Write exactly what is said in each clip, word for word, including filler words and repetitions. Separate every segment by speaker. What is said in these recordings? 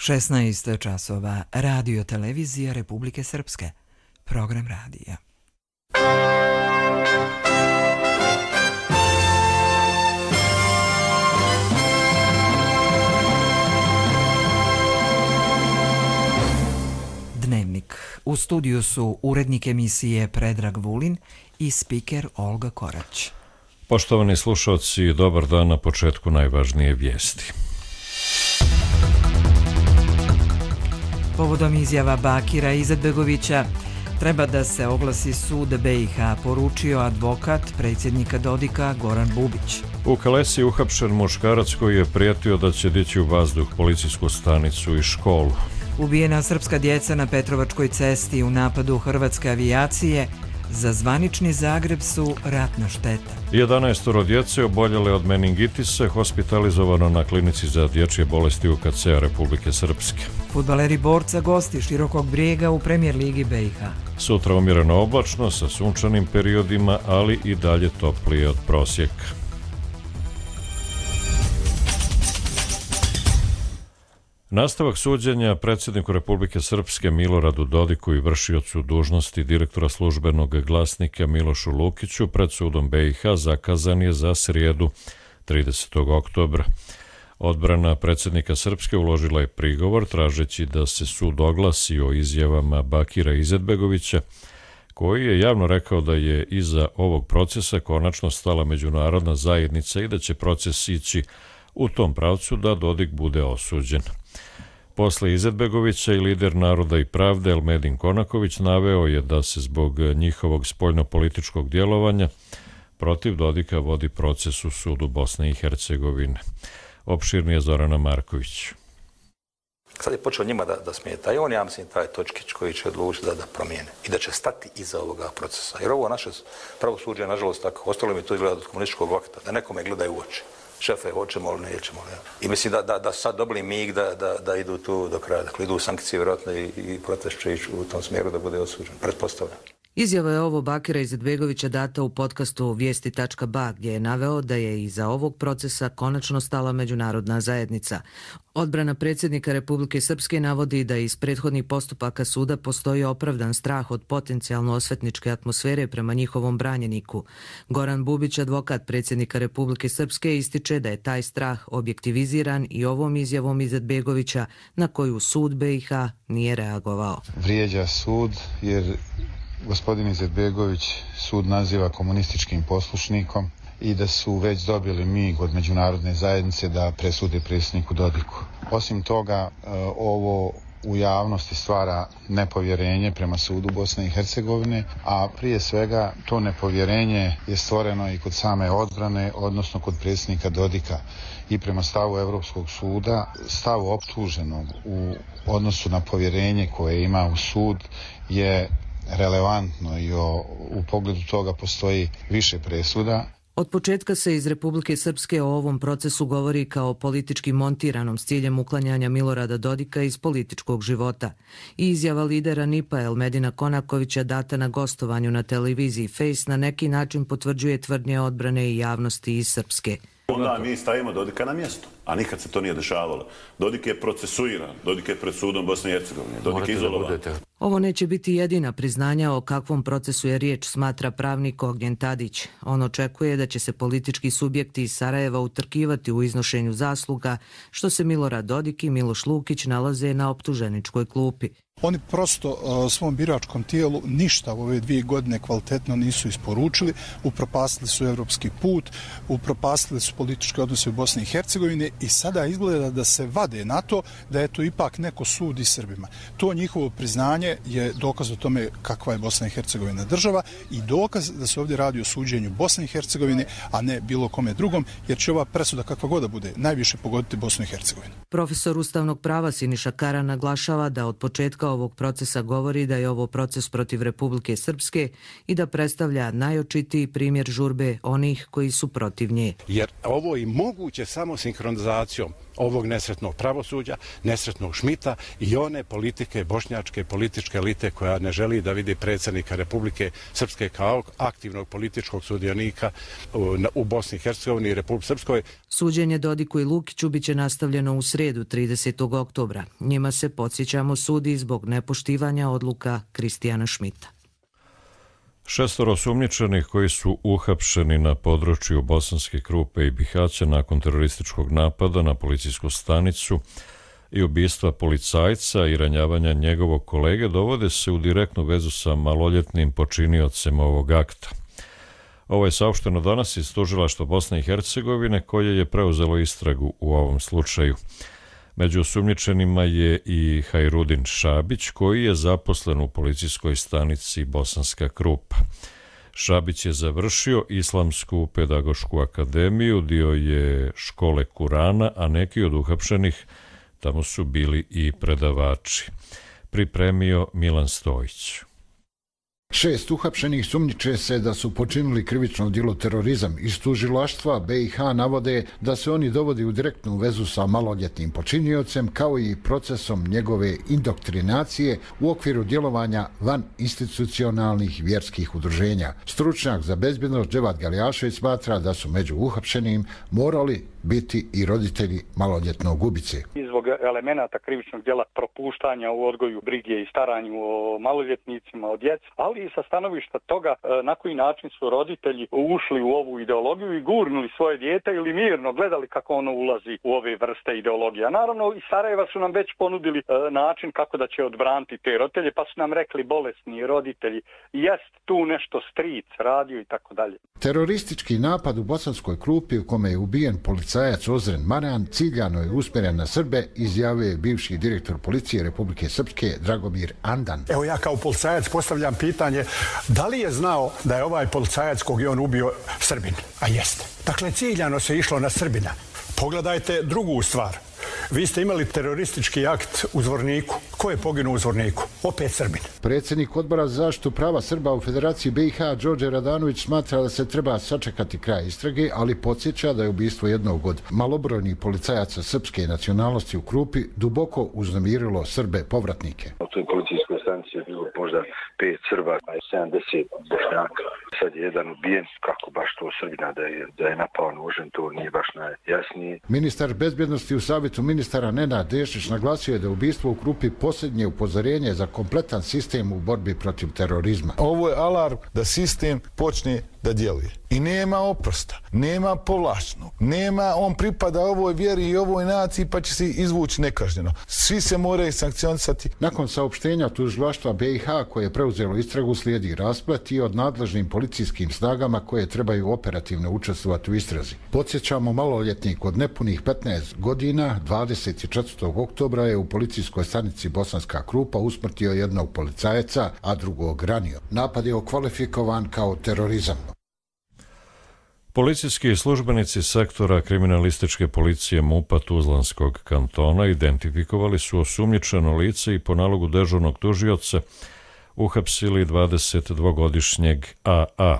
Speaker 1: šesnaest časova, Radio Televizija Republike Srpske, program radija. Dnevnik. U studiju su urednik emisije Predrag Vulin i spiker Olga Korać.
Speaker 2: Poštovani slušalci, dobar dan, na početku najvažnije vijesti.
Speaker 1: Povodom izjava Bakira Izetbegovića treba da se oglasi sud B i H, poručio advokat predsjednika Dodika Goran Bubić.
Speaker 2: U Kalesi je uhapšen muškarac koji je prijetio da će dići u vazduh policijsku stanicu i školu.
Speaker 1: Ubijena srpska djeca na Petrovačkoj cesti u napadu hrvatske avijacije, za zvanični Zagreb su ratna šteta.
Speaker 2: jedanaestoro djece oboljele od meningitisa hospitalizovano na klinici za dječje bolesti U K C-a Republike Srpske.
Speaker 1: Fudbaleri Borca gosti Širokog Brijega u Premijer ligi B i H.
Speaker 2: Sutra umjereno oblačno sa sunčanim periodima, ali i dalje toplije od prosjeka. Nastavak suđenja predsjedniku Republike Srpske Miloradu Dodiku i vršiocu dužnosti direktora službenog glasnika Milošu Lukiću pred sudom B i H zakazan je za srijedu tridesetog oktobra. Odbrana predsjednika Srpske uložila je prigovor tražeći da se sud oglasi o izjavama Bakira Izetbegovića, koji je javno rekao da je iza ovog procesa konačno stala međunarodna zajednica i da će proces ići u tom pravcu da Dodik bude osuđen. Posle Izetbegovića i lider Naroda i pravde Elmedin Konaković naveo je da se zbog njihovog spoljnopolitičkog djelovanja protiv Dodika vodi proces u sudu Bosne i Hercegovine. Opširnije Zorana Marković.
Speaker 3: Sad je počeo njima da, da smeta i on, ja mislim, taj točkić koji će odlučiti da, da promijene i da će stati iza ovoga procesa. Jer ovo naše pravosuđe je, nažalost, tako. Ostalo mi to izgleda od komunističkog vakta, da nekome gledaju u oči. Šefe, hoćemo li, nećemo li. I mislim da, da, da sad dobili mig da, da, da idu tu do kraja. Dakle, idu sankcije vjerojatno i, i protest će ići u tom smjeru da bude osuđen. Pretpostavljam.
Speaker 4: Izjava je ovo Bakira Izetbegovića data u podcastu vijesti tačka ba, gdje je naveo da je iza ovog procesa konačno stala međunarodna zajednica. Odbrana predsjednika Republike Srpske navodi da iz prethodnih postupaka suda postoji opravdan strah od potencijalno osvetničke atmosfere prema njihovom branjeniku. Goran Bubić, advokat predsjednika Republike Srpske, ističe da je taj strah objektiviziran i ovom izjavom Izetbegovića na koju sud B i H nije reagovao.
Speaker 5: Vrijeđa sud jer gospodin Izetbegović sud naziva komunističkim poslušnikom i da su već dobili mig od međunarodne zajednice da presude predsjedniku Dodiku. Osim toga, ovo u javnosti stvara nepovjerenje prema sudu Bosne i Hercegovine, a prije svega to nepovjerenje je stvoreno i kod same odbrane, odnosno kod predsjednika Dodika. I prema stavu Europskog suda, stavu optuženog u odnosu na povjerenje koje ima u sud je relevantno i o, u pogledu toga postoji više presuda.
Speaker 4: Od početka se iz Republike Srpske o ovom procesu govori kao politički montiranom s ciljem uklanjanja Milorada Dodika iz političkog života. I izjava lidera N I P-a Elmedina Konakovića data na gostovanju na televiziji Face na neki način potvrđuje tvrdnje odbrane i javnosti iz Srpske.
Speaker 6: Onda mi stavimo Dodika na mjesto, a nikad se to nije dešavalo. Dodik je procesuiran, Dodik je pred sudom Bosne i Hercegovine, Dodik je izolovan.
Speaker 4: Ovo neće biti jedina priznanja o kakvom procesu je riječ, smatra pravnik Ognjen Tadić. On očekuje da će se politički subjekti iz Sarajeva utrkivati u iznošenju zasluga, što se Milorad Dodik i Miloš Lukić nalaze na optuženičkoj klupi.
Speaker 7: Oni prosto uh, svom biračkom tijelu ništa u ove dvije godine kvalitetno nisu isporučili, upropastili su evropski put, upropastili su političke odnose u Bosni i Hercegovini i sada izgleda da se vade na to da je to ipak neko sudi Srbima. To njihovo priznanje je dokaz o tome kakva je Bosna i Hercegovina država i dokaz da se ovdje radi o suđenju Bosne i Hercegovine, a ne bilo kome drugom, jer će ova presuda kakva god da bude najviše pogoditi Bosnu i Hercegovinu.
Speaker 4: Profesor ustavnog prava Siniša Kara naglašava da od početka ovog procesa govori da je ovo proces protiv Republike Srpske i da predstavlja najočitiji primjer žurbe onih koji su protiv nje.
Speaker 8: Jer ovo je moguće samo sinhronizacijom ovog nesretnog pravosuđa, nesretnog Šmita i one politike, bošnjačke političke elite koja ne želi da vidi predsjednika Republike Srpske kao aktivnog političkog sudionika u Bosni i Hercegovini i Republike Srpskoj.
Speaker 4: Suđenje Dodiku i Lukiću biće nastavljeno u sredu tridesetog oktobra. Njima se, podsjećamo, sudi zbog nepoštivanja odluka Kristijana Šmita.
Speaker 2: Šestoro osumnjičenih koji su uhapšeni na području Bosanske Krupe i Bihaća nakon terorističkog napada na policijsku stanicu i ubistva policajca i ranjavanja njegovog kolege dovode se u direktnu vezu sa maloljetnim počiniocem ovog akta. Ovo je saopšteno danas iz Tužilaštva Bosne i Hercegovine koje je preuzelo istragu u ovom slučaju. Među osumnjičenima je i Hajrudin Šabić, koji je zaposlen u policijskoj stanici Bosanska Krupa. Šabić je završio Islamsku pedagošku akademiju, dio je škole Kurana, a neki od uhapšenih tamo su bili i predavači. Pripremio Milan Stojić.
Speaker 9: Šest uhapšenih sumnjiče se da su počinili krivično djelo terorizam. Iz tužilaštva B i H navode da se oni dovodi u direktnu vezu sa maloljetnim počiniocem kao i procesom njegove indoktrinacije u okviru djelovanja van institucionalnih vjerskih udruženja. Stručnjak za bezbjednost Dževad Galjašević smatra da su među uhapšenim morali biti i roditelji maloljetnog ubice.
Speaker 10: Zbog elemenata krivičnog djela propuštanja u odgoju, brige i staranju o maloljetnicima, o djeci, ali i sa stanovišta toga na koji način su roditelji ušli u ovu ideologiju i gurnuli svoje dijete ili mirno gledali kako ono ulazi u ove vrste ideologija. Naravno, iz Sarajeva su nam već ponudili način kako da će odbraniti te roditelje, pa su nam rekli bolesni roditelji, jest tu nešto stric radio i tako dalje.
Speaker 9: Teroristički napad u Bosanskoj Krupi u kome je ubijen policajac Ozren Marjan ciljano je usmjeren na Srbe, izjavio je bivši direktor policije Republike Srpske Dragomir Andan.
Speaker 11: Evo ja kao policajac postavljam pitanje da li je znao da je ovaj policajac kog je on ubio Srbin? A jeste. Dakle, ciljano se išlo na Srbina. Pogledajte drugu stvar. Vi ste imali teroristički akt u Zvorniku. Ko je poginuo u Zvorniku? Opet Srbin.
Speaker 9: Predsjednik Odbora za zaštitu prava Srba u Federaciji B i H Đorđe Radanović smatra da se treba sačekati kraj istrage, ali podsjeća da je ubistvo jednog od malobrojnih policajaca srpske nacionalnosti u Krupi duboko uznemirilo Srbe povratnike.
Speaker 12: U toj policijskoj stanici je bilo možda pet Srba, a sedamdeset Bošnjaka. Sad je jedan ubijen, kako baš to Srbina da je, da je napao nožem, to nije baš najjasnije.
Speaker 9: Ministar bezbjednosti u Savjetu ministara Nenad Dešić naglasio je da ubistvo u Krupi posljednje upozorenje za kompletan sistem u borbi protiv terorizma.
Speaker 13: Ovo je alarm da sistem počne da djeluje. I nema oprosta, nema povlaštnog, nema on pripada ovoj vjeri i ovoj naciji pa će se izvući nekažnjeno. Svi se moraju sankcionisati.
Speaker 9: Nakon saopštenja tužilaštva B i H koje je preuzelo istragu slijedi rasplet i od nadležnim policijskim snagama koje trebaju operativno učestvovati u istrazi. Podsjećamo, maloljetnik od nepunih petnaest godina dvadeset četvrtog oktobra je u policijskoj stanici Bosanska Krupa usmrtio jednog policajaca, a drugog ranio. Napad je okvalifikovan kao terorizam.
Speaker 2: Policijski službenici sektora kriminalističke policije MUP-a Tuzlanskog kantona identifikovali su osumnjičeno lice i po nalogu dežurnog tužioca uhapsili dvadesetdvogodišnjeg A A,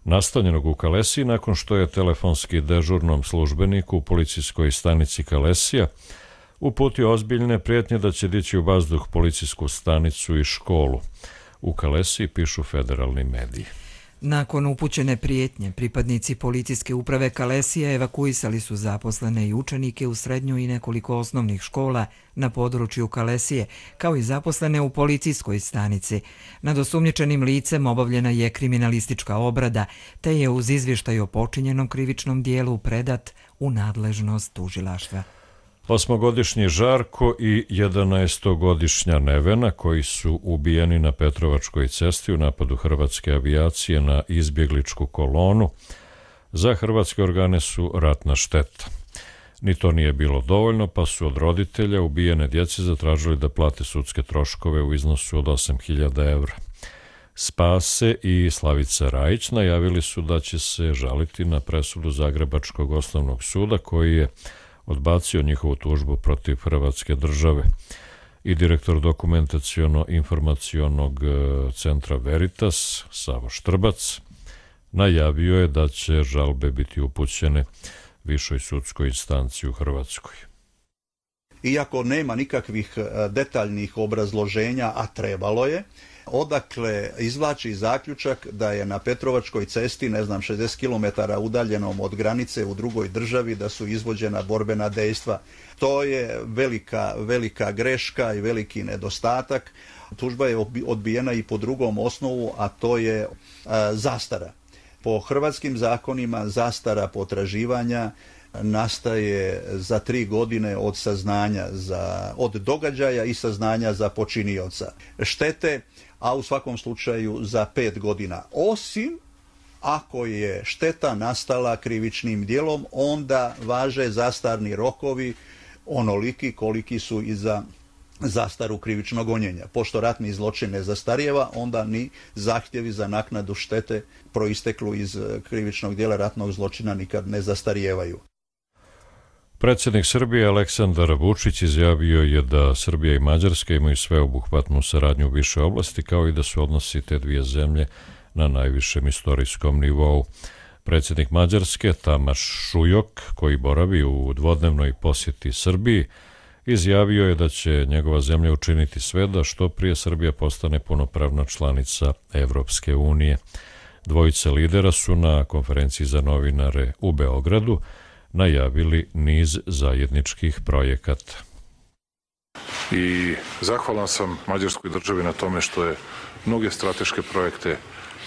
Speaker 2: nastanjenog u Kalesiji nakon što je telefonski dežurnom službeniku u policijskoj stanici Kalesija uputio ozbiljne prijetnje da će dići u vazduh policijsku stanicu i školu. U Kalesiji pišu federalni mediji.
Speaker 1: Nakon upućene prijetnje, pripadnici policijske uprave Kalesija evakuisali su zaposlene i učenike u srednjoj i nekoliko osnovnih škola na području Kalesije, kao i zaposlene u policijskoj stanici. Nad osumnjičenim licem obavljena je kriminalistička obrada, te je uz izvještaj o počinjenom krivičnom dijelu predat u nadležnost tužilaštva.
Speaker 2: Osmogodišnji Žarko i jedanaestogodišnja Nevena, koji su ubijeni na Petrovačkoj cesti u napadu hrvatske avijacije na izbjegličku kolonu, za hrvatske organe su ratna šteta. Ni to nije bilo dovoljno, pa su od roditelja ubijene djece zatražili da plate sudske troškove u iznosu od osam hiljada evra. Spase i Slavica Rajić najavili su da će se žaliti na presudu Zagrebačkog osnovnog suda koji je odbacio njihovu tužbu protiv Hrvatske države. I direktor dokumentaciono-informacionog centra Veritas, Savo Štrbac, najavio je da će žalbe biti upućene višoj sudskoj instanciji u Hrvatskoj.
Speaker 14: iako nema nikakvih detaljnih obrazloženja, a trebalo je, odakle izvlači zaključak da je na Petrovačkoj cesti, ne znam, šezdeset kilometara udaljenom od granice u drugoj državi, da su izvođena borbena dejstva. To je velika, velika greška i veliki nedostatak. Tužba je odbijena i po drugom osnovu, a to je a, zastara. Po hrvatskim zakonima zastara potraživanja nastaje za tri godine od saznanja za, od događaja i saznanja za počinioca štete, a u svakom slučaju za pet godina. Osim ako je šteta nastala krivičnim djelom, onda važe zastarni rokovi onoliki koliki su i za zastaru krivičnog gonjenja. Pošto ratni zločin ne zastarijeva, onda ni zahtjevi za naknadu štete proisteklu iz krivičnog djela ratnog zločina nikad ne zastarijevaju.
Speaker 2: Predsjednik Srbije Aleksandar Vučić izjavio je da Srbija i Mađarska imaju sveobuhvatnu saradnju u više oblasti, kao i da su odnosi te dvije zemlje na najvišem istorijskom nivou. Predsjednik Mađarske Tamaš Šujok, koji boravi u dvodnevnoj posjeti Srbiji, izjavio je da će njegova zemlja učiniti sve da što prije Srbija postane punopravna članica Evropske unije. Dvojica lidera su na konferenciji za novinare u Beogradu najavili niz zajedničkih projekata.
Speaker 15: I zahvalan sam Mađarskoj državi na tome što je mnoge strateške projekte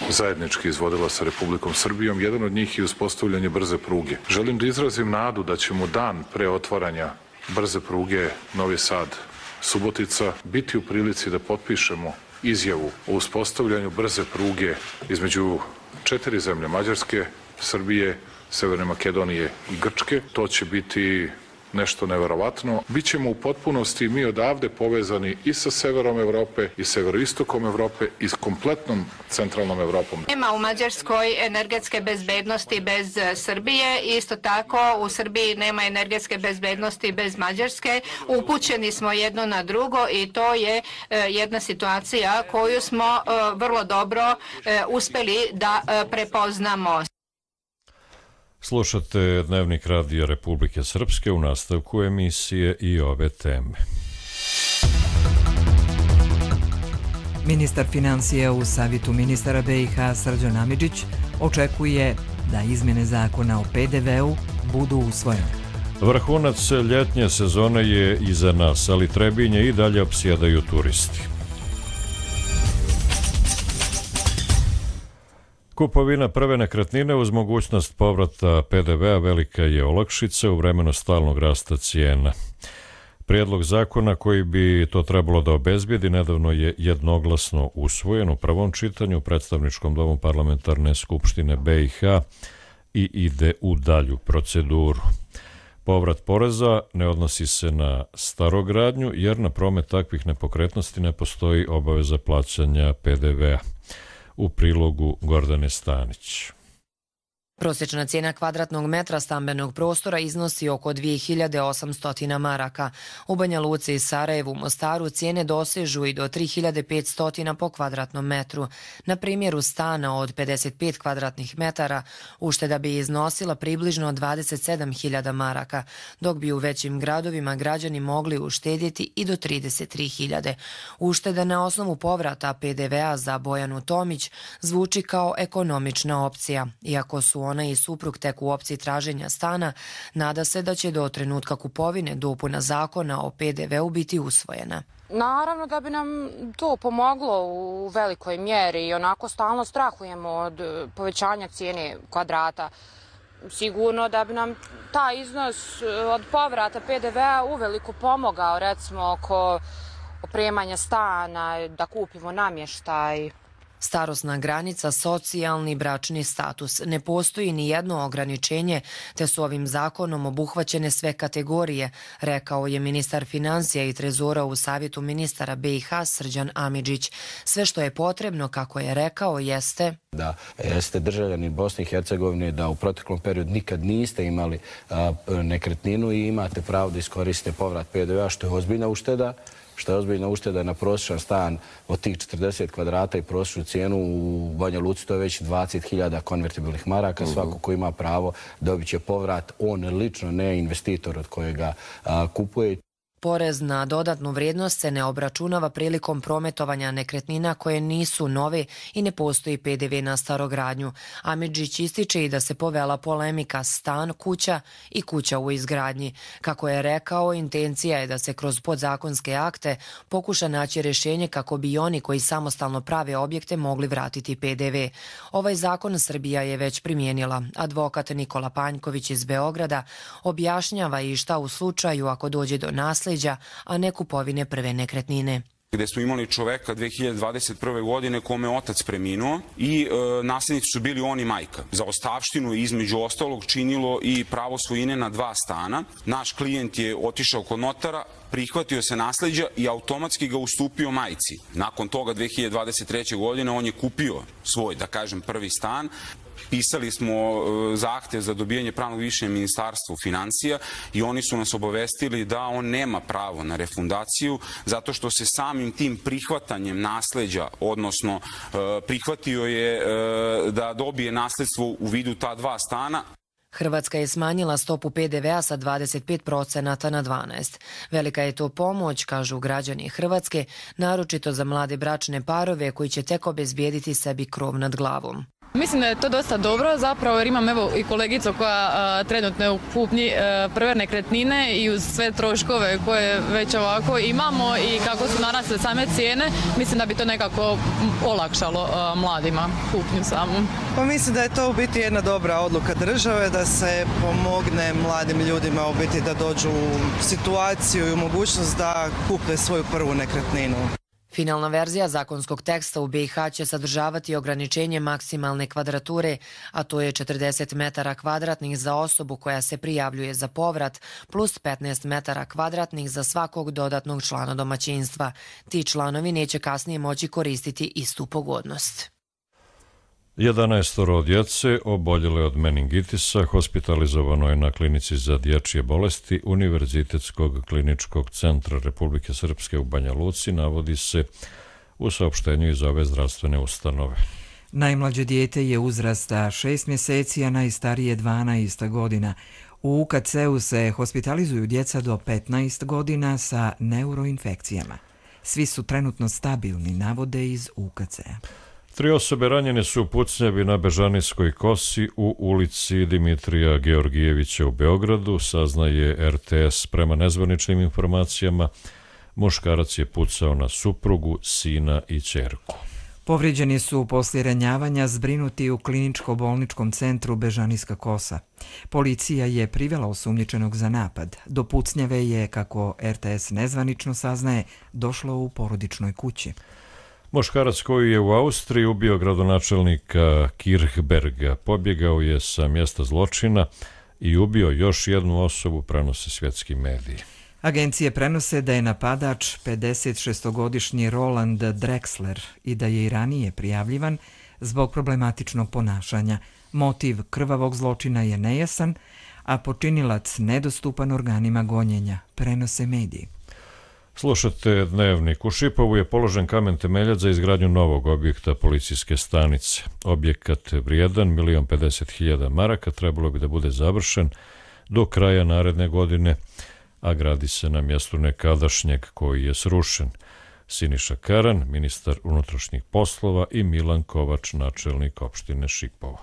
Speaker 15: zajednički izvodila sa Republikom Srbijom. Jedan od njih je uspostavljanje brze pruge. Želim da izrazim nadu da ćemo dan pre otvaranja brze pruge Novi Sad-Subotica biti u prilici da potpišemo izjavu o uspostavljanju brze pruge između četiri zemlje, Mađarske, Srbije, Severne Makedonije i Grčke. To će biti nešto neverovatno. Bićemo u potpunosti mi odavde povezani i sa severom Evrope i severoistokom Evrope i s kompletnom centralnom Evropom.
Speaker 16: Nema u Mađarskoj energetske bezbednosti bez Srbije. Isto tako u Srbiji nema energetske bezbednosti bez Mađarske. Upućeni smo jedno na drugo i to je jedna situacija koju smo vrlo dobro uspeli da prepoznamo.
Speaker 2: Slušate Dnevnik Radija Republike Srpske, u nastavku emisije i ove teme.
Speaker 1: Ministar financija u Savjetu ministara B i H Srđan Amidžić očekuje da izmjene zakona o P D V-u budu usvojene.
Speaker 2: Vrhunac ljetnje sezone je iza nas, ali Trebinje i dalje opsjedaju turisti. Kupovina prve nekretnine uz mogućnost povrata P D V-a velika je olakšica u vremenu stalnog rasta cijena. Prijedlog zakona koji bi to trebalo da obezbijedi nedavno je jednoglasno usvojen u prvom čitanju u Predstavničkom domu Parlamentarne skupštine B i H i ide u dalju proceduru. Povrat poreza ne odnosi se na starogradnju jer na promet takvih nepokretnosti ne postoji obaveza plaćanja P D V-a. U prilogu Gordane Stanić.
Speaker 17: Prosječna cijena kvadratnog metra stambenog prostora iznosi oko dvije hiljade osamsto maraka. U Banja Luci i Sarajevu, Mostaru cijene dosežu i do tri hiljade petsto po kvadratnom metru. Na primjeru stana od pedeset pet kvadratnih metara ušteda bi iznosila približno dvadeset sedam hiljada maraka, dok bi u većim gradovima građani mogli uštedjeti i do trideset tri hiljade. Ušteda na osnovu povrata P D V-a za Bojanu Tomić zvuči kao ekonomična opcija, iako su ona i suprug tek u opciji traženja stana, nada se da će do trenutka kupovine dopuna zakona o P D V-u biti usvojena.
Speaker 18: Naravno da bi nam to pomoglo u velikoj mjeri i onako stalno strahujemo od povećanja cijene kvadrata. Sigurno da bi nam taj iznos od povrata P D V-a uveliko pomogao, recimo oko opremanja stana, da kupimo namještaj.
Speaker 17: Starosna granica, socijalni bračni status. Ne postoji ni jedno ograničenje, te su ovim zakonom obuhvaćene sve kategorije, rekao je ministar financija i trezora u Savjetu ministara B i H Srđan Amidžić. Sve što je potrebno, kako je rekao, jeste
Speaker 19: da jeste državljani Bosne i Hercegovine, da u proteklom periodu nikad niste imali a, nekretninu i imate pravo da iskoristite povrat P D V-a, što je ozbiljna ušteda. što je ozbiljna ušteda na prosječan stan od tih četrdeset kvadrata i prosječnu cijenu u Banja Luci, to je već dvadeset hiljada konvertibilnih maraka. Svako ko ima pravo dobit će povrat, on lično, ne investitor od kojega a, kupuje.
Speaker 17: Porez na dodatnu vrijednost se ne obračunava prilikom prometovanja nekretnina koje nisu nove i ne postoji P D V na starogradnju. Amidžić ističe i da se povela polemika stan, kuća i kuća u izgradnji. Kako je rekao, intencija je da se kroz podzakonske akte pokuša naći rješenje kako bi oni koji samostalno prave objekte mogli vratiti P D V. Ovaj zakon Srbija je već primijenila. Advokat Nikola Panjković iz Beograda objašnjava i šta u slučaju ako dođe do nasljeđa, a ne kupovine prve nekretnine.
Speaker 20: Gde smo imali čoveka dve hiljade dvadeset prve. godine kome je otac preminuo i e, nasljednici su bili on i majka. Za ostavštinu između ostalog činilo i pravo svojine na dva stana. Naš klijent je otišao kod notara, prihvatio se nasleđa i automatski ga ustupio majci. Nakon toga dve hiljade dvadeset treće. godine on je kupio svoj, da kažem, prvi stan. Pisali smo zahtev za dobijanje pravnog mišljenja Ministarstvu financija i oni su nas obavestili da on nema pravo na refundaciju zato što se samim tim prihvatanjem nasleđa, odnosno prihvatio je da dobije nasledstvo u vidu ta dva stana.
Speaker 17: Hrvatska je smanjila stopu P D V-a sa dvadeset pet procenata na dvanaest. Velika je to pomoć, kažu građani Hrvatske, naročito za mlade bračne parove koji će tek obezbijediti sebi krov nad glavom.
Speaker 21: Mislim da je to dosta dobro, zapravo jer imam evo i kolegicu koja a, trenutno je u kupnji a, prve nekretnine i uz sve troškove koje već ovako imamo i kako su narasle same cijene, mislim da bi to nekako olakšalo a, mladima kupnju samu.
Speaker 22: Pa mislim da je to u biti jedna dobra odluka države da se pomogne mladim ljudima u biti da dođu u situaciju i u mogućnost da kupe svoju prvu nekretninu.
Speaker 17: Finalna verzija zakonskog teksta u B i H će sadržavati ograničenje maksimalne kvadrature, a to je četrdeset metara kvadratnih za osobu koja se prijavljuje za povrat, plus petnaest metara kvadratnih za svakog dodatnog člana domaćinstva. Ti članovi neće kasnije moći koristiti istu pogodnost.
Speaker 2: jedanaestoro djece oboljele od meningitisa hospitalizovano je na klinici za dječje bolesti Univerzitetskog kliničkog centra Republike Srpske u Banja Luci, navodi se u saopštenju iz ove zdravstvene ustanove.
Speaker 1: Najmlađe dijete je uzrasta šest mjeseci, a najstarije dvanaest godina. U U K C-u se hospitalizuju djeca do petnaest godina sa neuroinfekcijama. Svi su trenutno stabilni, navode iz U K C-a.
Speaker 2: Tri osobe ranjene su u pucnjavi na Bežanijskoj kosi u ulici Dimitrija Georgijevića u Beogradu, saznaje R T S. Prema nezvaničnim informacijama, muškarac je pucao na suprugu, sina i ćerku.
Speaker 1: Povrijeđeni su poslije ranjavanja zbrinuti u kliničko-bolničkom centru Bežanijska kosa. Policija je privela osumnjičenog za napad. Do pucnjave je, kako R T S nezvanično saznaje, došlo u porodičnoj kući.
Speaker 2: Muškarac koji je u Austriji ubio gradonačelnika Kirchberga pobjegao je sa mjesta zločina i ubio još jednu osobu, prenose svjetski mediji.
Speaker 1: Agencije prenose da je napadač pedesetšestogodišnji Roland Drexler i da je i ranije prijavljivan zbog problematičnog ponašanja. Motiv krvavog zločina je nejasan, a počinilac nedostupan organima gonjenja, prenose mediji.
Speaker 2: Slušate Dnevnik. U Šipovu je položen kamen temeljac za izgradnju novog objekta policijske stanice. Objekat vrijedan milion pedeset hiljada maraka trebalo bi da bude završen do kraja naredne godine, a gradi se na mjestu nekadašnjeg koji je srušen. Siniša Karan, ministar unutrašnjih poslova, i Milan Kovač, načelnik opštine Šipovo.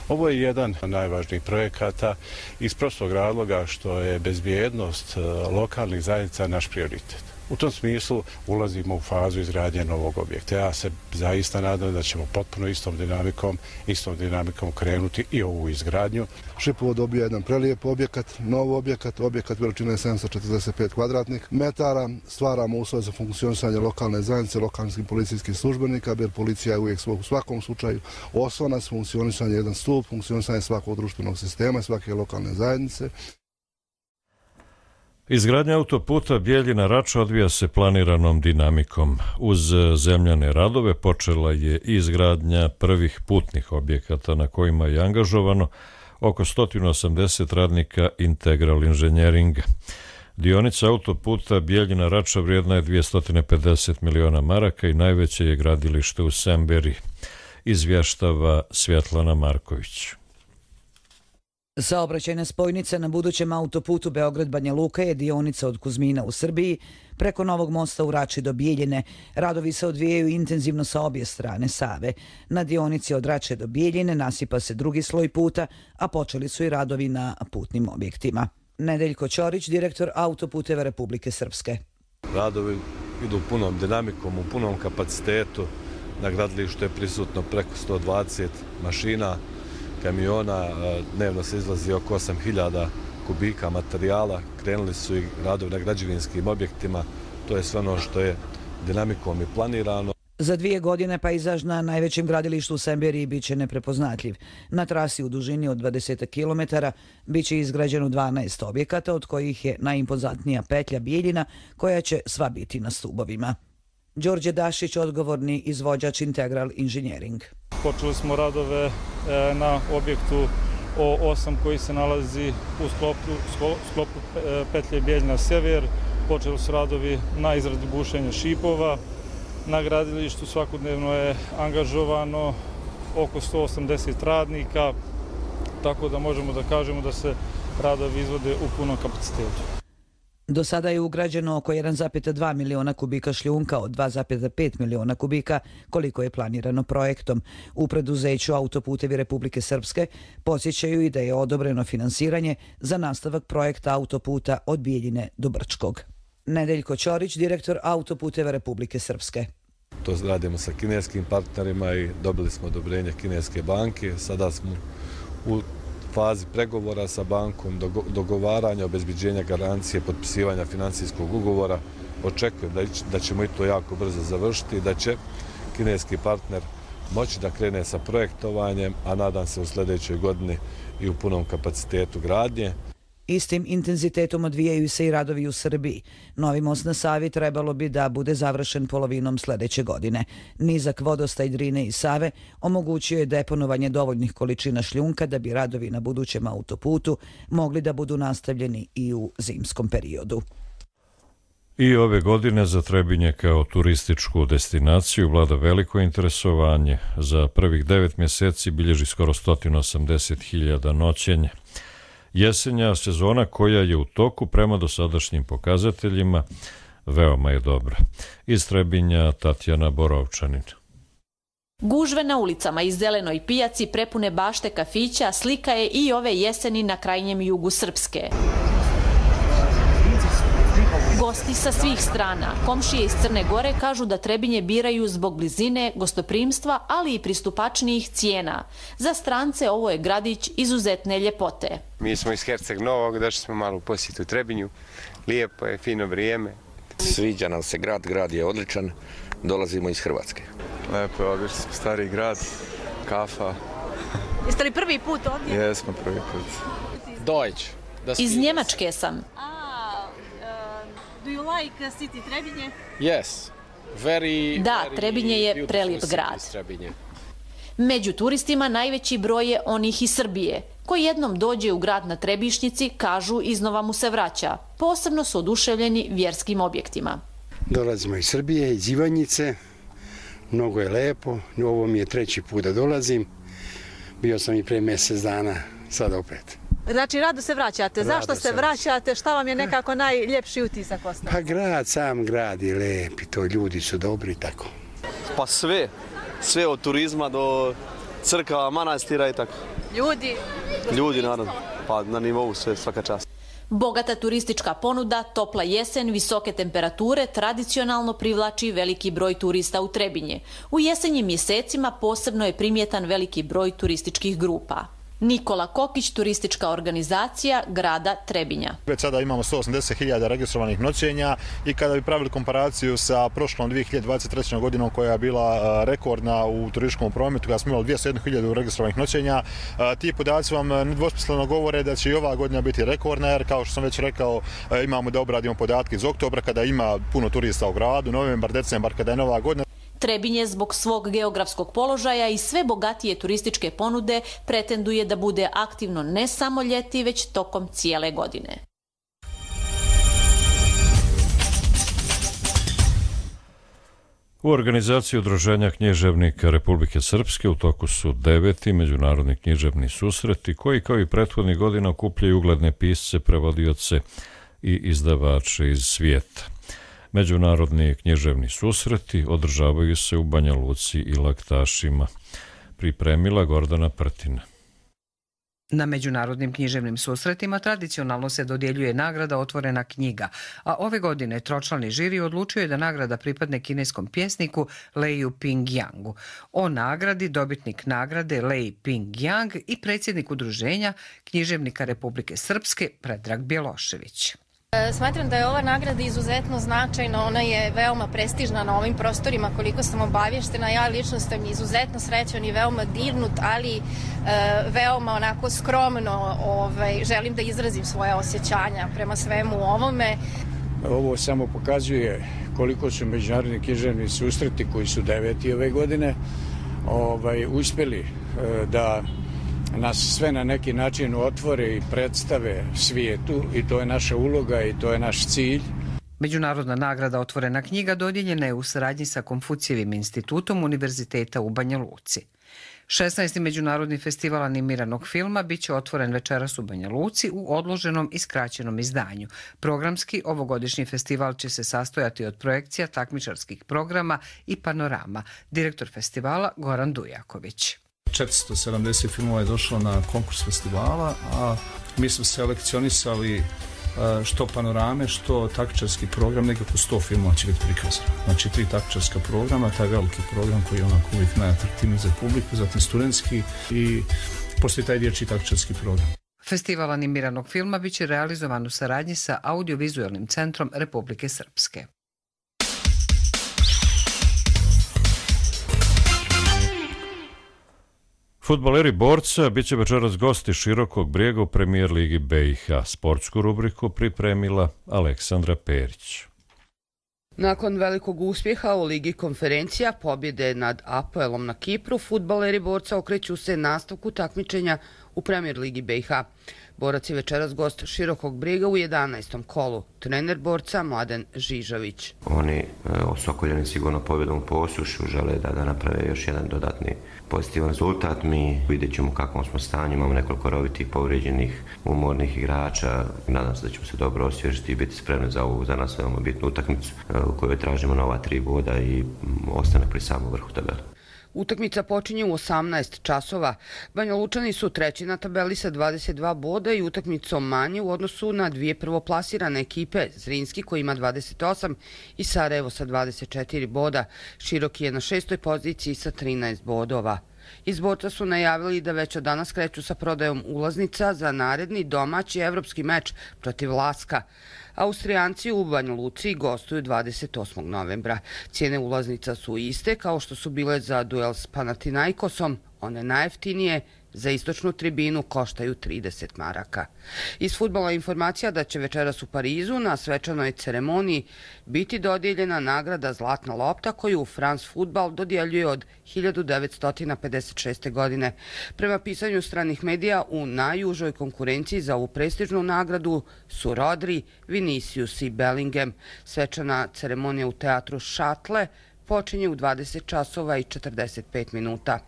Speaker 8: Ovo je jedan od najvažnijih projekata iz prostog razloga što je bezbjednost lokalnih zajednica naš prioritet. U tom smislu ulazimo u fazu izgradnje novog objekta. Ja se zaista nadam da ćemo potpuno istom dinamikom, istom dinamikom krenuti i ovu izgradnju.
Speaker 23: Šipovo dobija jedan prelijep objekat, nov objekat, objekat veličine sedamsto četrdeset pet kvadratnih metara. Stvaramo uslove za funkcionisanje lokalne zajednice, lokalnih policijskih službenika, jer policija je uvijek u svakom slučaju oslonac, funkcionisanje jedan stup, funkcionisanje svakog društvenog sistema, svake lokalne zajednice.
Speaker 2: Izgradnja autoputa Bijeljina-Rača odvija se planiranom dinamikom. Uz zemljane radove počela je izgradnja prvih putnih objekata na kojima je angažovano oko sto osamdeset radnika Integral inženjeringa. Dionica autoputa Bijeljina-Rača vrijedna je dvjesto pedeset miliona maraka i najveće je gradilište u Semberi, izvještava Svjetlana Marković.
Speaker 3: Saobraćajna spojnica na budućem autoputu Beograd-Banja Luka je dionica od Kuzmina u Srbiji preko Novog mosta u Rači do Bijeljine. Radovi se odvijaju intenzivno sa obje strane Save. Na dionici od Rače do Bijeljine nasipa se drugi sloj puta, a počeli su i radovi na putnim objektima. Nedeljko Ćorić, direktor Autoputeva Republike Srpske.
Speaker 5: Radovi idu punom dinamikom, u punom kapacitetu. Na gradilištu je prisutno preko sto dvadeset mašina, kamiona, dnevno se izlazi oko osam hiljada kubika materijala, krenuli su i radovi na građevinskim objektima, to je sve ono što je dinamikom i planirano.
Speaker 3: Za dvije godine pejzaž na najvećem gradilištu u Semberiji biće neprepoznatljiv. Na trasi u dužini od dvadeset kilometara biće izgrađeno dvanaest objekata, od kojih je najimpozantnija petlja Bijeljina, koja će sva biti na stubovima. Đorđe Dašić, odgovorni izvođač Integral Engineering.
Speaker 6: Počeli smo radove na objektu O osam koji se nalazi u sklopu, sklopu petlje Bijeljina Sever. Počeli su radovi na izradi bušenja šipova. Na gradilištu svakodnevno je angažovano oko sto osamdeset radnika, tako da možemo da kažemo da se radovi izvode u punom kapacitetu.
Speaker 3: Do sada je ugrađeno oko jedan zarez dva miliona kubika šljunka od dva zarez pet miliona kubika, koliko je planirano projektom. U preduzeću Autoputevi Republike Srpske podsjećaju i da je odobreno finansiranje za nastavak projekta autoputa od Bijeljine do Brčkog. Nedeljko Ćorić, direktor Autoputeva Republike Srpske.
Speaker 5: To radimo sa kineskim partnerima i dobili smo odobrenje kineske banke. Sada smo u fazi pregovora sa bankom, dogovaranja, obezbeđenja garancije, potpisivanja finansijskog ugovora. Očekujem da ćemo i to jako brzo završiti i da će kineski partner moći da krene sa projektovanjem, a nadam se u sljedećoj godini i u punom kapacitetu gradnje.
Speaker 3: Istim intenzitetom odvijaju se i radovi u Srbiji. Novi most na Savi trebalo bi da bude završen polovinom sljedeće godine. Nizak vodostaj Drine i Save omogućio je deponovanje dovoljnih količina šljunka da bi radovi na budućem autoputu mogli da budu nastavljeni i u zimskom periodu.
Speaker 2: I ove godine za Trebinje kao turističku destinaciju vlada veliko interesovanje. Za prvih devet mjeseci bilježi skoro sto osamdeset hiljada noćenja. Jesenja sezona koja je u toku prema dosadašnjim pokazateljima veoma je dobra. Iz Trebinja Tatjana Borovčanin.
Speaker 24: Gužve na ulicama i zelenoj pijaci prepune bašte kafića slika je i ove jeseni na krajnjem jugu Srpske. Gosti sa svih strana, komšije iz Crne Gore kažu da Trebinje biraju zbog blizine, gostoprimstva, ali i pristupačnijih cijena. Za strance ovo je gradić izuzetne ljepote.
Speaker 25: Mi smo iz Herceg Novog, došli smo malo u posjetu Trebinju. Lijepo je, fino vrijeme.
Speaker 26: Sviđa nam se grad, grad je odličan, dolazimo iz Hrvatske.
Speaker 27: Lepo je, ovdje smo stari grad, kafa.
Speaker 24: Jeste li prvi put ovdje?
Speaker 27: Jesmo prvi put.
Speaker 26: Deutsch.
Speaker 24: Iz Njemačke sam.
Speaker 28: Do you like city Trebinje?
Speaker 26: Yes. Very,
Speaker 24: da,
Speaker 26: very
Speaker 24: Trebinje je prelijep grad. Među turistima najveći broj je onih iz Srbije. Ko jednom dođe u grad na Trebišnjici, kažu iznova mu se vraća. Posebno su oduševljeni vjerskim objektima.
Speaker 29: Dolazimo iz Srbije, iz Ivanjice. Mnogo je lepo. Ovo mi je treći put da dolazim. Bio sam i pre mjesec dana, sada opet.
Speaker 28: Znači, rado se vraćate.
Speaker 29: Rado
Speaker 28: Zašto se vraćate? Šta vam je nekako najljepši utisak ostao?
Speaker 29: Pa grad, sam grad je lep i to ljudi su dobri i tako.
Speaker 27: Pa sve. Sve od turizma do crkava, manastira i tako.
Speaker 28: Ljudi?
Speaker 27: Ljudi, naravno. Pa na nivou sve, svaka čast.
Speaker 24: Bogata turistička ponuda, topla jesen, visoke temperature tradicionalno privlači veliki broj turista u Trebinje. U jesenjim mjesecima posebno je primjetan veliki broj turističkih grupa. Nikola Kokić, turistička organizacija grada Trebinja.
Speaker 30: Već sada imamo sto osamdeset hiljada registrovanih noćenja i kada bi pravili komparaciju sa prošlom dvije hiljade dvadeset treće. godinom koja je bila rekordna u turističkom prometu, kada smo imali dvjesto jednu hiljadu registrovanih noćenja, ti podaci vam nedvosmisleno govore da će i ova godina biti rekordna, jer kao što sam već rekao, imamo da obradimo podatke iz oktobra kada ima puno turista u gradu, novembar, decembar kada je nova godina.
Speaker 24: Trebinje zbog svog geografskog položaja i sve bogatije turističke ponude pretenduje da bude aktivno ne samo ljeti, već tokom cijele godine.
Speaker 2: U organizaciji Udruženja književnika Republike Srpske u toku su deveti međunarodni književni susreti koji kao i prethodnih godina okupljaju ugledne pisce, prevodioce i izdavače iz svijeta. Međunarodni književni susreti održavaju se u Banja Luci i Laktašima. Pripremila Gordana Prtina.
Speaker 4: Na međunarodnim književnim susretima tradicionalno se dodjeljuje nagrada Otvorena knjiga, a ove godine tročlani žiri odlučio je da nagrada pripadne kineskom pjesniku Leiju Ping-Yangu. O nagradi dobitnik nagrade Lei Ping-Yang i predsjednik Udruženja književnika Republike Srpske Predrag Bjelošević.
Speaker 7: Smatram da je ova nagrada izuzetno značajna, ona je veoma prestižna na ovim prostorima, koliko sam obavještena. Ja lično sam izuzetno srećan i veoma dirnut, ali e, veoma onako skromno ovaj, želim da izrazim svoje osjećanja prema svemu ovome.
Speaker 9: Ovo samo pokazuje koliko su međunarodni književni susreti, koji su deveti ove godine, ovaj, uspjeli e, da nas sve na neki način otvore i predstave svijetu i to je naša uloga i to je naš cilj.
Speaker 4: Međunarodna nagrada Otvorena knjiga dodijeljena je u saradnji sa Konfucijevim institutom Univerziteta u Banja Luci. šesnaesti Međunarodni festival animiranog filma biće otvoren večeras u Banja Luci u odloženom i skraćenom izdanju. Programski ovogodišnji festival će se sastojati od projekcija, takmičarskih programa i panorama. Direktor festivala Goran Dujaković.
Speaker 10: četiristo sedamdeset filmova je došlo na konkurs festivala, a mi smo selekcionisali što panorame, što takmičarski program, nekako sto filmova će biti prikazano. Znači tri takmičarska programa, taj veliki program koji je onako uvijek najatraktivniji za publiku, zatim studentski i poslije taj dječji takmičarski program.
Speaker 4: Festival animiranog filma biće realizovan u saradnji sa Audiovizualnim centrom Republike Srpske.
Speaker 2: Fudbaleri Borca bit će večeras gosti Širokog Brijega u premijer ligi B i H. Sportsku rubriku pripremila Aleksandra Perić.
Speaker 11: Nakon velikog uspjeha u Ligi konferencija, pobjede nad Apoelom na Kipru, fudbaleri Borca okreću se nastavku takmičenja u premijer ligi B i H. Borac je večeras gost Širokog Brijega u jedanaestom kolu. Trener Borca Mladen Žižović.
Speaker 12: Oni osokoljeni sigurno pobjedom po Osušu žele da, da naprave još jedan dodatni pozitivan rezultat. Mi vidjet ćemo u kakvom smo stanju, imamo nekoliko rovitih povrijeđenih umornih igrača. Nadam se da ćemo se dobro osvježiti i biti spremni za ovu za nas veoma bitnu utakmicu u kojoj tražimo nova tri boda i ostanak pri samom vrhu tabele.
Speaker 11: Utakmica počinje u osamnaest časova. Banja Lučani su treći na tabeli sa dvadeset dva boda i utakmicom manje u odnosu na dvije prvoplasirane ekipe, Zrinski koji ima dvadeset osam i Sarajevo sa dvadeset četiri boda. Široki je na šestoj poziciji sa trinaest bodova. Iz Borca su najavili da već od danas kreću sa prodajom ulaznica za naredni domaći evropski meč protiv Laska. Austrijanci u Banja Luci gostuju dvadeset osmog novembra. Cijene ulaznica su iste kao što su bile za duel s Panathinaikosom, one najjeftinije za istočnu tribinu koštaju trideset maraka. Iz fudbala informacija da će večeras u Parizu na svečanoj ceremoniji biti dodijeljena nagrada Zlatna lopta koju France Football dodjeljuje od hiljadu devetsto pedeset šeste. godine. Prema pisanju stranih medija, u najužoj konkurenciji za ovu prestižnu nagradu su Rodri, Vinicius i Bellingham. Svečana ceremonija u teatru Šatle počinje u dvadeset časova i četrdeset pet minuta.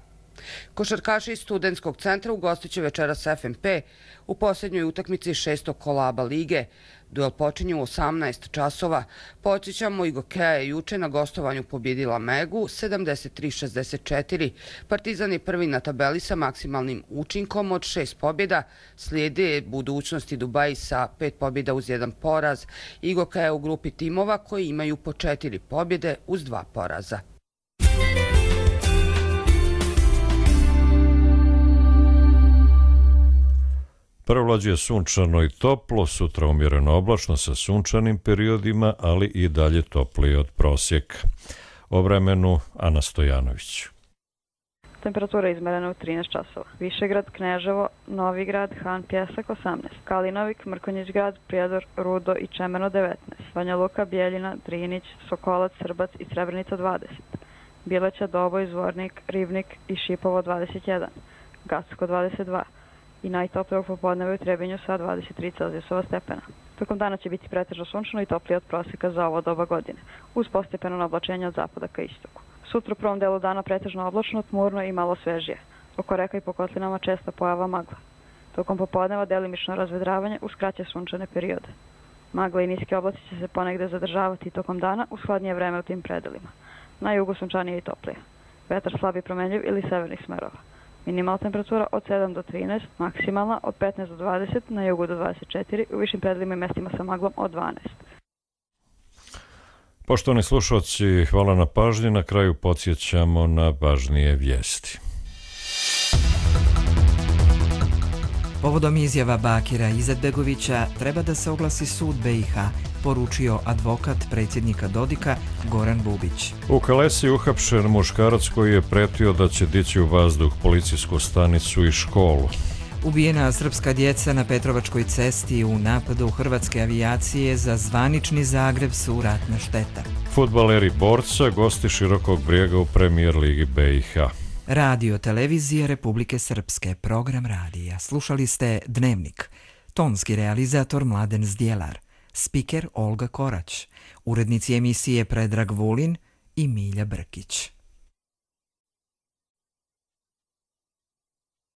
Speaker 11: Košarkaši iz Studentskog centra ugostit će večeras F M P u posljednjoj utakmici šestog kola A B A lige. Duel počinje u osamnaest časova. Podsjećamo, Igokeja je juče na gostovanju pobjedila Megu sedamdeset tri šezdeset četiri. Partizan je prvi na tabeli sa maksimalnim učinkom od šest pobjeda. Slijede Budućnost i Dubaji sa pet pobjeda uz jedan poraz. Igokeja je u grupi timova koji imaju po četiri pobjede uz dva poraza.
Speaker 2: Prevlađuje sunčano i toplo, sutra umjereno oblačno sa sunčanim periodima, ali i dalje toplije od prosjeka. O vremenu Ana Stojanović.
Speaker 13: Temperatura izmerena u trinaest časova. Višegrad, Kneževo, Novigrad, Han Pjesak osamnaest. Kalinovik, Mrkonjić grad, Prijedor, Rudo i Čemeno devetnaest. Banja Luka, Bjeljina, Drinić, Sokolac, Srbac i Srebrenica dvadeset. Bileća, Doboj, Zvornik, Rivnik i Šipovo dvadeset jedan. Gacko dvadeset dva. i najtoplije popodneva u Trebinju sa dvadeset tri Celzijusova stepena. Tokom dana će biti pretežno sunčano i toplije od prosjeka za ovo doba godine, uz postepeno oblačenje od zapada ka istoku. Sutra u prvom delu dana pretežno oblačno, tmurno i malo svežije. Oko reka i po kotlinama česta pojava magla. Tokom popodneva delimično razvedravanje uz kraće sunčane periode. Magla i niski oblaci će se ponegde zadržavati tokom dana uz hladnije vreme u tim predelima. Na jugu sunčanije i toplije. Vetar slab i promenljiv ili severnih smerova. Minimalna temperatura od sedam do trinaest, maksimalna od petnaest do dvadeset, na jugu do dvadeset četiri, u višim predelima i mestima sa maglom od dvanaest.
Speaker 2: Poštovani slušalci, hvala na pažnji. Na kraju podsjećamo na važnije vijesti.
Speaker 1: Povodom izjava Bakira Izetbegovića treba da se oglasi sud B i H, poručio advokat predsjednika Dodika Goran Bubić.
Speaker 2: U Kalesi uhapšen muškarac koji je pretio da će dići u vazduh policijsku stanicu i školu.
Speaker 1: Ubijena srpska djeca na Petrovačkoj cesti u napadu hrvatske avijacije za zvanični Zagreb su ratna šteta.
Speaker 2: Fudbaleri Borca gosti Širokog Brijega u Premijer ligi B i H.
Speaker 1: Radio televizije Republike Srpske, program radija. Slušali ste Dnevnik. Tonski realizator Mladen Zdjelar. Spiker Olga Korać. Urednici emisije Predrag Vulin i Milja Brkić.